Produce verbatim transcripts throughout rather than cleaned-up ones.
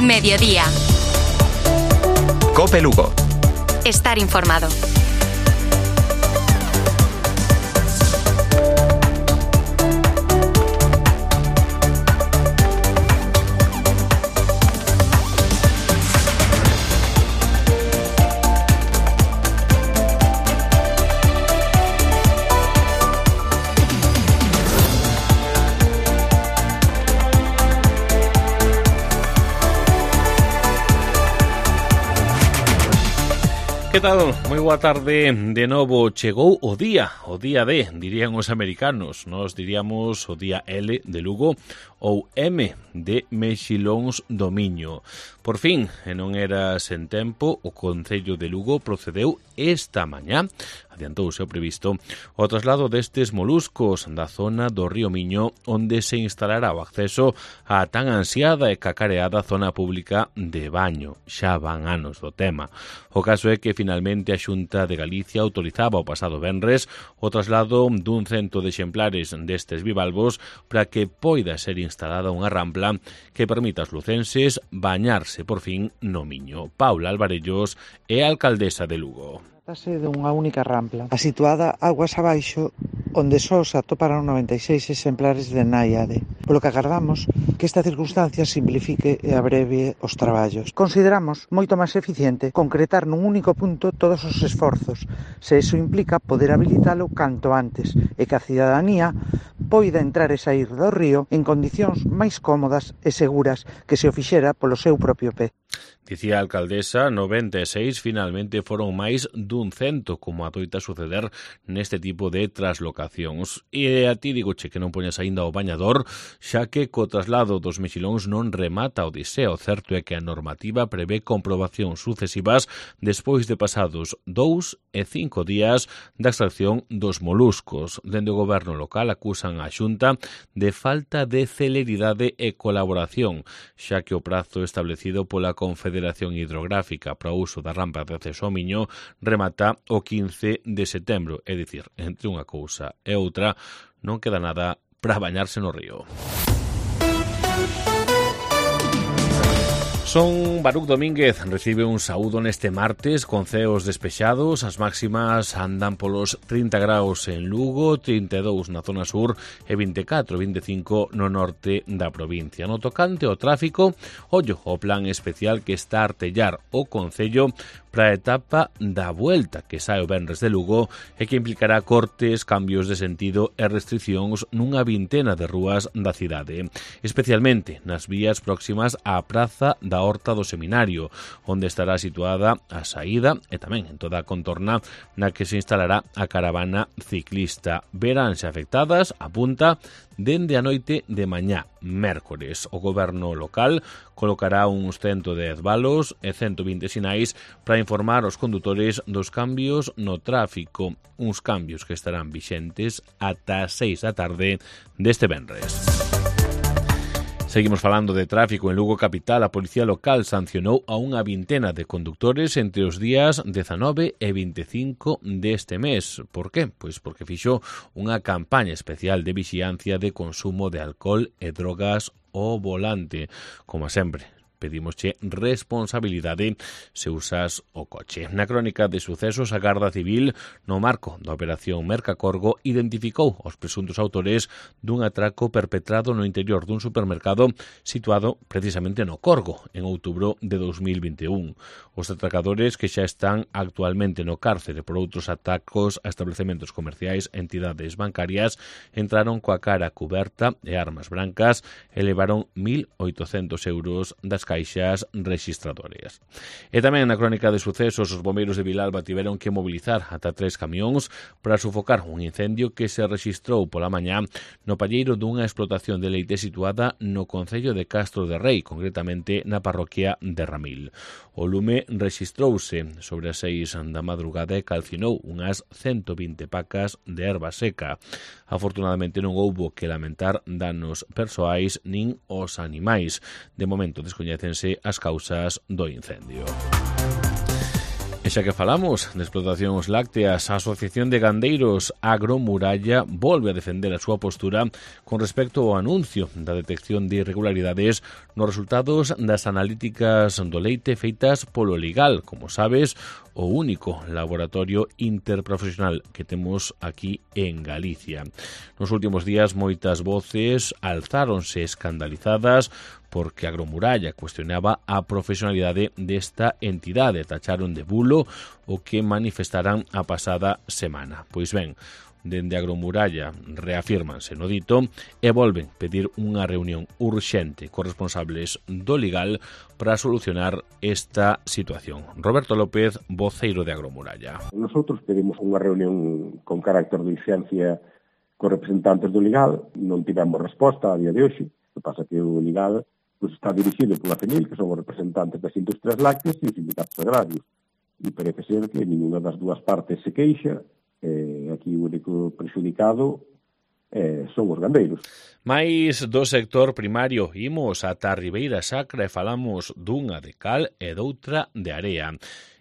Mediodía. COPE Lugo. Estar informado. Que tal? Moi boa tarde. De novo chegou o día, o día D, dirían os americanos. Nos diríamos o día L de Lugo ou M de Mexilóns do Miño. Por fin, e non era sen tempo, o Concello de Lugo procedeu esta mañá, adiantouse o previsto, o traslado destes moluscos da zona do río Miño, onde se instalará o acceso á tan ansiada e cacareada zona pública de baño. Xa van anos do tema. O caso é que finalmente a Xunta de Galicia autorizaba o pasado venres o traslado dun cento de exemplares destes bivalvos para que poida ser instalada unha rampla que permita aos lucenses bañarse por fin no Miño. Paula Alvarellos é a alcaldesa de Lugo. Trátase dunha única rampla, a situada aguas abaixo, onde só se atoparon noventa e seis exemplares de náiade, polo que agardamos que esta circunstancia simplifique e abrevie os traballos. Consideramos moito máis eficiente concretar nun único punto todos os esforzos, se iso implica poder habilitalo canto antes e que a cidadanía poida entrar e sair do río en condicións máis cómodas e seguras que se o fixera polo seu propio pé. Dicía a alcaldesa, noventa e seis finalmente foron máis dun cento, como adoita suceder neste tipo de traslocacións. E a ti digoche que non poñas aínda o bañador, xa que co traslado dos mexilóns non remata o odisea. O certo é que a normativa prevé comprobacións sucesivas despois de pasados dous e cinco días da extracción dos moluscos. Dende o goberno local acusan a Xunta de falta de celeridade e colaboración, xa que o prazo establecido pola Confederación Hidrográfica para o uso da rampa de acceso ao Miño remata o quince de setembro, é dicir, entre unha cousa e outra non queda nada para bañarse no río. Son Baruc Domínguez, recibe un saúdo neste martes con ceos despexados. As máximas andan polos trinta graus en Lugo, trinta e dous na zona sur e vinte e catro, vinte e cinco no norte da provincia. No tocante ao tráfico, ollo o plan especial que está a artellar o Concello para a etapa da Vuelta, que sae o venres de Lugo e que implicará cortes, cambios de sentido e restriccións nunha vintena de rúas da cidade, especialmente nas vías próximas á Praza da Horta do Seminario, onde estará situada a saída e tamén en toda a contorna na que se instalará a caravana ciclista. Veránse afectadas, apunta, dende a noite de mañá, mércores. O goberno local colocará uns cento dez valos e cento vinte sinais para informar aos condutores dos cambios no tráfico, uns cambios que estarán vixentes ata as seis da tarde deste venres. Seguimos falando de tráfico en Lugo capital. A Policía Local sancionou a unha vintena de condutores entre os días dezanove e vinte e cinco deste mes. Por qué? Pois porque fixo unha campaña especial de vixiancia de consumo de alcohol e drogas ao volante. Como sempre, pedimosche responsabilidade se usas o coche. Na crónica de sucesos, a Garda Civil, no marco da Operación Mercacorgo, identificou os presuntos autores dun atraco perpetrado no interior dun supermercado situado precisamente no Corgo, en outubro de dos mil vinte e un. Os atracadores, que xa están actualmente no cárcere por outros atacos a establecementos comerciais e entidades bancarias, entraron coa cara cuberta e armas brancas e levaron mil oitocentos euros das caixas rexistradoras. E tamén na crónica de sucesos, os bombeiros de Vilalba tiveron que mobilizar ata tres camións para sufocar un incendio que se rexistrou pola mañá no palleiro dunha explotación de leite situada no concello de Castro de Rei, concretamente na parroquia de Ramil. O lume rexistrouse sobre as seis da madrugada e calcinou unhas cento vinte pacas de erva seca. Afortunadamente non houbo que lamentar danos persoais nin os animais. De momento descoñécense as causas do incendio. E xa que falamos de explotacións lácteas, a Asociación de Gandeiros Agromuralla volve a defender a súa postura con respecto ao anuncio da detección de irregularidades nos resultados das analíticas do leite feitas polo Ligal, como sabes, o único laboratorio interprofesional que temos aquí en Galicia. Nos últimos días moitas voces alzáronse escandalizadas porque Agromuralla cuestionaba a profesionalidade desta entidade, tacharon de bulo o que manifestaran a pasada semana. Pois ben, dende Agromuralla reafírmanse no dito e volven pedir unha reunión urxente cos responsables do Ligal para solucionar esta situación. Roberto López, voceiro de Agromuralla. Nosotros pedimos unha reunión con carácter de urxencia cos representantes do Ligal, non tivemos resposta a día de hoxe. O que pasa que o Ligal pues, está dirixido pola FENIL, que son os representantes das industrias lácteas e os sindicatos agrarios. E parece ser que ninguna das dúas partes se queixa. Eh, aquí o único prexudicado eh, son os gandeiros. Mais do sector primario imos ata a Ribeira Sacra e falamos dunha de cal e doutra de area.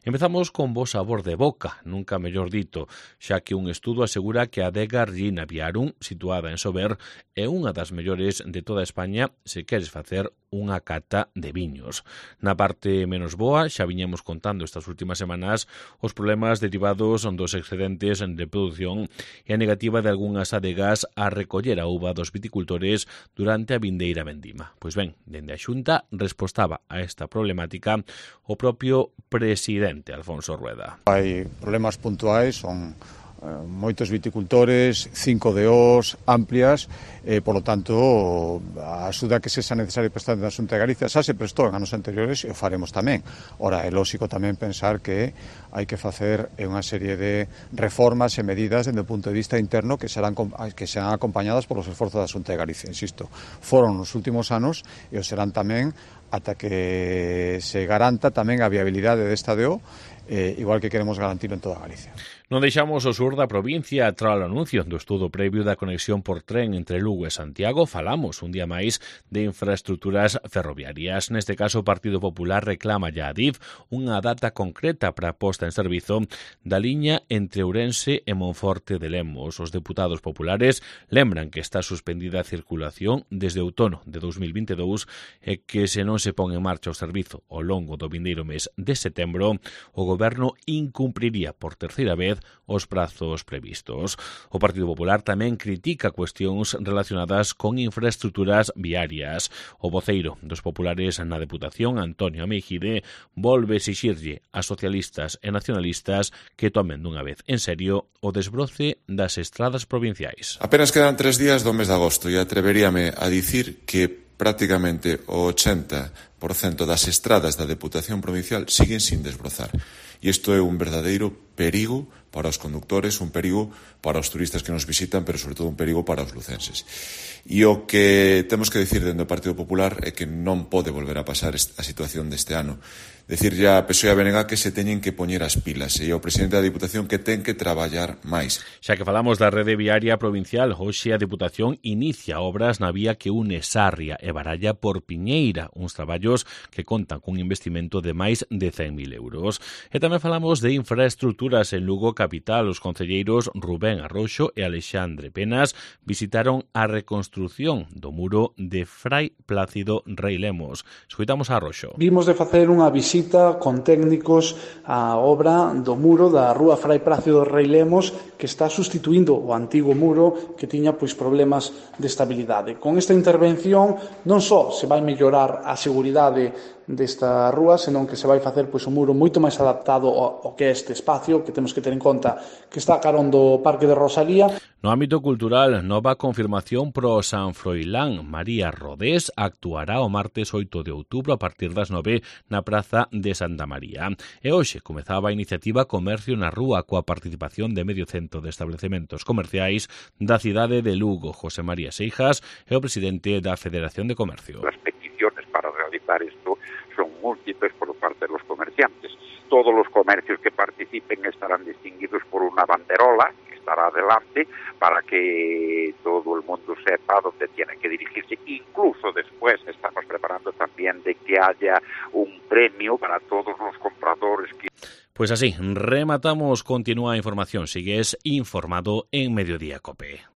Empezamos con bo sabor de boca, nunca mellor dito, xa que un estudo asegura que a adega Riina Viarum, situada en Sober, é unha das mellores de toda España se queres facer unha cata de viños. Na parte menos boa, xa viñemos contando estas últimas semanas os problemas derivados dos excedentes de produción e a negativa de algunhas adegas a recoller a uva dos viticultores durante a vindeira vendima. Pois ben, dende a Xunta respostaba a esta problemática o propio presidente Alfonso Rueda. Hai problemas puntuais, son eh, moitos viticultores, cinco D Os amplias, e, por lo tanto, a axuda que sexa necesaria prestar na Xunta de Galicia xa se prestou en anos anteriores e o faremos tamén. Ora, é lógico tamén pensar que hai que facer unha serie de reformas e medidas desde o punto de vista interno que serán, que serán acompañadas polos esforzos da Xunta de Galicia. Insisto, foron nos últimos anos e o serán tamén ata que se garanta tamén a viabilidade desta D O, eh, igual que queremos garantirlo en toda Galicia. Non deixamos o sur da provincia tras o anuncio do estudo previo da conexión por tren entre Lugo e Santiago. Falamos un día máis de infraestructuras ferroviarias. Neste caso, o Partido Popular reclama ya a Adif unha data concreta para a posta en servizo da liña entre Ourense e Monforte de Lemos. Os deputados populares lembran que está suspendida a circulación desde outono de dous mil vinte e dous e que se non se pon en marcha o servizo ao longo do vindeiro mes de setembro, o Goberno incumpriría por terceira vez os prazos previstos. O Partido Popular tamén critica cuestións relacionadas con infraestructuras viarias. O voceiro dos populares na Deputación, Antonio Ameijide, volve exixirlle a socialistas e nacionalistas que tomen dunha vez en serio o desbroce das estradas provinciais. Apenas quedan tres días do mes de agosto e atreveríame a dicir que prácticamente o ochenta por cento das estradas da Deputación Provincial siguen sin desbrozar. E isto é un verdadeiro perigo para os conductores, un perigo para os turistas que nos visitan, pero sobre todo un perigo para os lucenses. E o que temos que dicir dentro do Partido Popular é que non pode volver a pasar a situación deste ano. Decirlle a P S O E e a B N G que se teñen que poñer as pilas e ao presidente da Diputación que ten que traballar máis. Xa que falamos da rede viaria provincial, hoxe a Diputación inicia obras na vía que une Sarria e Baralla por Piñeira, uns traballos que contan cun investimento de máis de cen mil euros. E tamén falamos de infraestructuras en Lugo capital. Os concelleiros Rubén Arroxo e Alexandre Penas visitaron a reconstrución do muro de Frai Plácido Rei Lemos. Escoitamos a Arroxo. Vimos de facer unha visita con técnicos á obra do muro da rúa Frai Plácido Rei Lemos, que está sustituindo o antigo muro que tiña pois problemas de estabilidade. Con esta intervención non só se vai mellorar a seguridade desta rúa, senón que se vai facer pois un muro moito máis adaptado ao, ao que é este espacio, que temos que ter en conta que está carón do Parque de Rosalía. No ámbito cultural, nova confirmación pro San Froilán. María Rodés actuará o martes oito de outubro a partir das nove na Praza de Santa María. E hoxe comezaba a iniciativa Comercio na Rúa coa participación de medio cento de establecementos comerciais da cidade de Lugo. José María Seijas é o presidente da Federación de Comercio. Las peticiones para realizar esto son múltiples por parte de los comerciantes. Todos los comercios que participen estarán distinguidos por una banderola que estará adelante para que todo el mundo sepa dónde tiene que dirigirse. Incluso después estamos preparando también de que haya un premio para todos los compradores que... Pues así, rematamos, continúa información, sigues informado en Mediodía COPE.